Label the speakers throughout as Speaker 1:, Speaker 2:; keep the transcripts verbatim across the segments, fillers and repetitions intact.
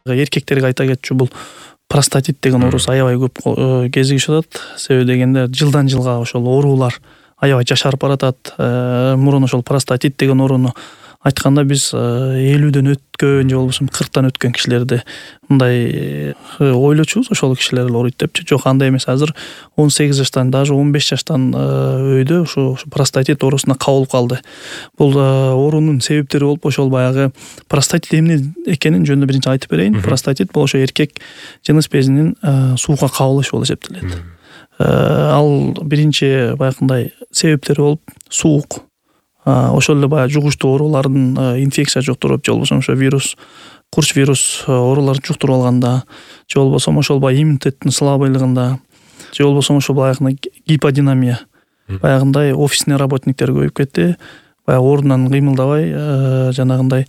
Speaker 1: Эркектерге айта кетчү, бул простатит деген оорусу аябай көп кезигишип атат. Себеби дегенде жылдан жылга ошол оорулар аябай жашарып баратат. Мурун ошол простатит деген ооруну айтканда биз элүүдөн өткөн же болбосо кырктан өткөн кишилерди мындай ойлочубуз, ошол кишилер эле ооруйт депчи. Жок, андай эмес. Азыр он сегиз жаштан, даже он беш жаштан өйдө ушу простатит оорусуна кабылып калды. Бул оорунун себептери болуп ошол баягы простатит эмне экенин жөнүндө биринчи айтып берейин. Простатит бул ошо эркек жыныс безинин сууга кабылышы болуп эсептелет. Ал биринчи баягындай себептери болуп суук. Ошол эле баягы жугуштуу оорулардын инфекция жуктуруп, же болбосо ошо вирус, курч вирус ооруларын жуктуруп алганда, же болбосо ошол баягы иммунитеттин слабыйлыгында, же болбосо ошол баягы гиподинамия, баягындай офисный работниктер көбөйүп кетти, баягы ордунан кыймылдабай, жанагындай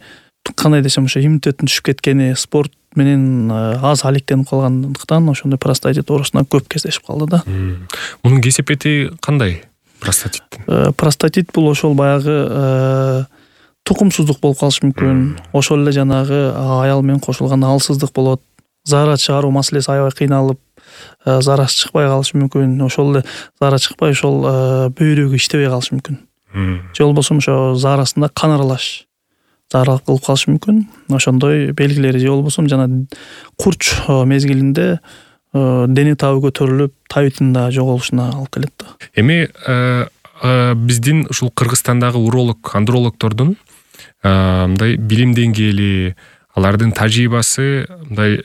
Speaker 1: кандай десем ошо иммунитеттин түшүп кеткени, спорт менен аз алектенип калгандыктан ошондой простатит оорусуна көп кездешип калды да.
Speaker 2: Мунун кесепети кандай? Простатиттин.
Speaker 1: Простатит бул ошол баягы тукумсуздук болуп калышы мүмкүн. Ошол эле жанагы аял менен кошулганда алсыздык болот. Заара чыгаруу маселеси аябай кыйналып, заарасы чыкпай калышы мүмкүн. Ошол эле заара чыкпай ошол бөйрөгү иштебей калышы мүмкүн. Же болбосо ошо заарасында кан аралаш заара кылып калышы мүмкүн. Ошондой белгилери, же болбосо жана курч мезгилинде дене табы көтөрүлүп, табитин да жоголушуна алып келет да.
Speaker 2: Эми биздин ушул Кыргызстандагы уролог, андрологдордун мындай билим деңгээли, алардын тажрыйбасы мындай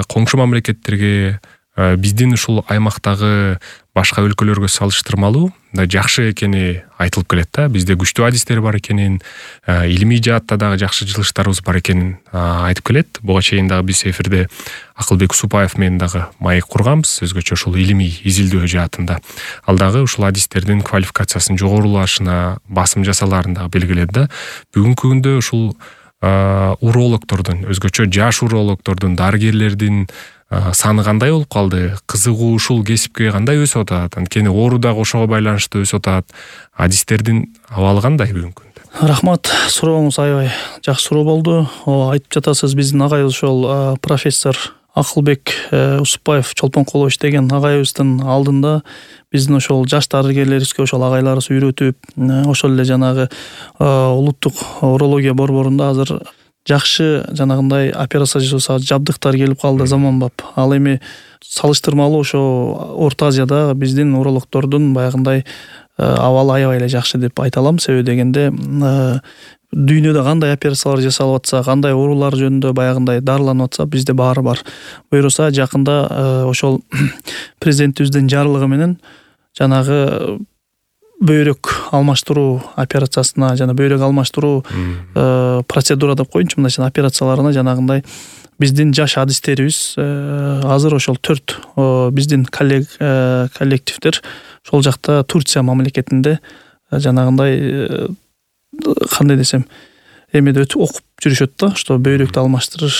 Speaker 2: коңшу мамлекеттерге, биздин ушул аймактагы башка өлкөлөргө салыштырмалуу мындай жакшы экени айтылып келет да. Бизде күчтүү адистер бар экенин, илимий жаатта дагы жакшы жылыштарыбыз бар экенин айтып келет. Буга чейин дагы биз эфирде Акылбек Супаев менен дагы маек курганбыз, өзгөчө ушул илимий изилдөө жаатында. Ал дагы ушул адистердин квалификациясынын жогорулашына басым жасалаарын дагы белгиледи да. Бүгүнкү күндө ушул урологдордун, өзгөчө жаш урологдордун, дарыгерлердин саны кандай болуп калды? Кызыгуу ушул кесипке кандай өсүп атат? Анткени оору дагы ошого байланыштуу өсүп атат. Адистердин абалы кандай бүгүнкү күндө?
Speaker 1: Рахмат, сурооңуз аябай жакшы суроо болду. Айтып жатасыз, биздин агайыбыз ошол профессор Акылбек Усупбаев Чолпонкулович деген агайыбыздын алдында биздин ошол жаш дарыгерлерибизге ошол агайларыбыз үйрөтүп, ошол эле жанагы улуттук урология борборунда азыр жакшы жанагындай операция жасоо жабдыктар келип калды, заманбап. Ал эми салыштырмалуу ошо Орто Азияда биздин урологдордун баягындай абалы аябай эле жакшы деп айта алам. Себеби дегенде дүйнөдө кандай операциялар жасалып атса, кандай оорулар жөнүндө баягындай дарыланып атса, бизде баары бар. Буюрса жакында ошол президентибиздин жарлыгы менен жанагы бөйрөк алмаштыруу операциясына, жана бөйрөк алмаштыруу процедура деп коеюнчу, мындай операцияларына жанагындай биздин жаш адистерибиз азыр ошол төрт биздин коллег коллективдер ошол жакта Турция мамлекетинде жанагындай кандай десем эмеде өтүп окуп жүрүшөт да, что бөйрөктү алмаштырыш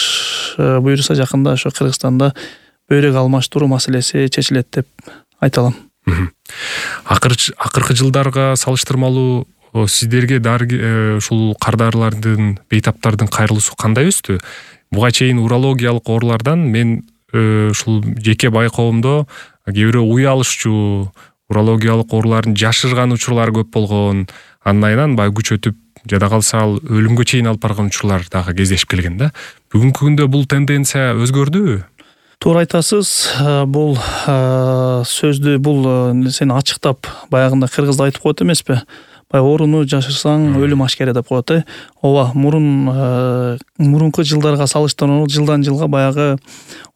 Speaker 1: буюрса жакында ошо Кыргызстанда бөйрөк алмаштыруу маселеси чечилет деп айта алам.
Speaker 2: Акыркы жылдарга салыштырмалуу сиздерге ушул кардарлардын, бейтаптардын кайрылуусу кандай өстү? Буга чейин урологиялык оорулардан мен ушул жеке байкоомдо кээ бирөө уй алышчу, урологиялык оорулардын жашырган учурлары көп болгон, андан айынан баягы күч өтүп, жада калса ал өлүмгө чейин алып барган учурлар дагы кездешип келген да. Бүгүнкү күндө бул тенденция өзгөрдүбү?
Speaker 1: Туура айтасыз. Бул сөздү, бул сени ачыктап баягында кыргызда айтып коет эмеспи? Баягы ооруну жашырсаң өлүм ашкере деп коет, э? Ооба, мурун мурунку жылдарга салыштырмалуу жылдан жылга баягы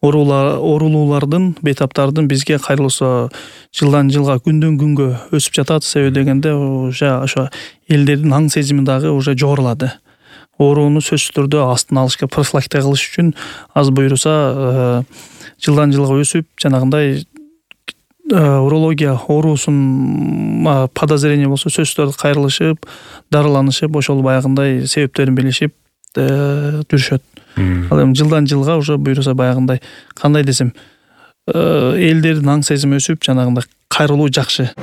Speaker 1: оорулуулардын, бейтаптардын бизге кайрылуусу жылдан жылга күндөн күнгө өсүп жатат. Себеби дегенде уже ошо элдердин аң сезими дагы уже жогорулады. Ооруну сөзсүз түрдө астын алышка, профилактика кылыш үчүн аз буюрса жылдан жылга өсүп, жанагындай урология оорусун подозрение болсо сөзсүз түрдө кайрылышып, дарыланышып, ошол баягындай себептерин билишип жүрүшөт. Ал эми жылдан жылга уже буюрса баягындай кандай десем элдердин аң сезими өсүп, жанагындай кайрылуу жакшы.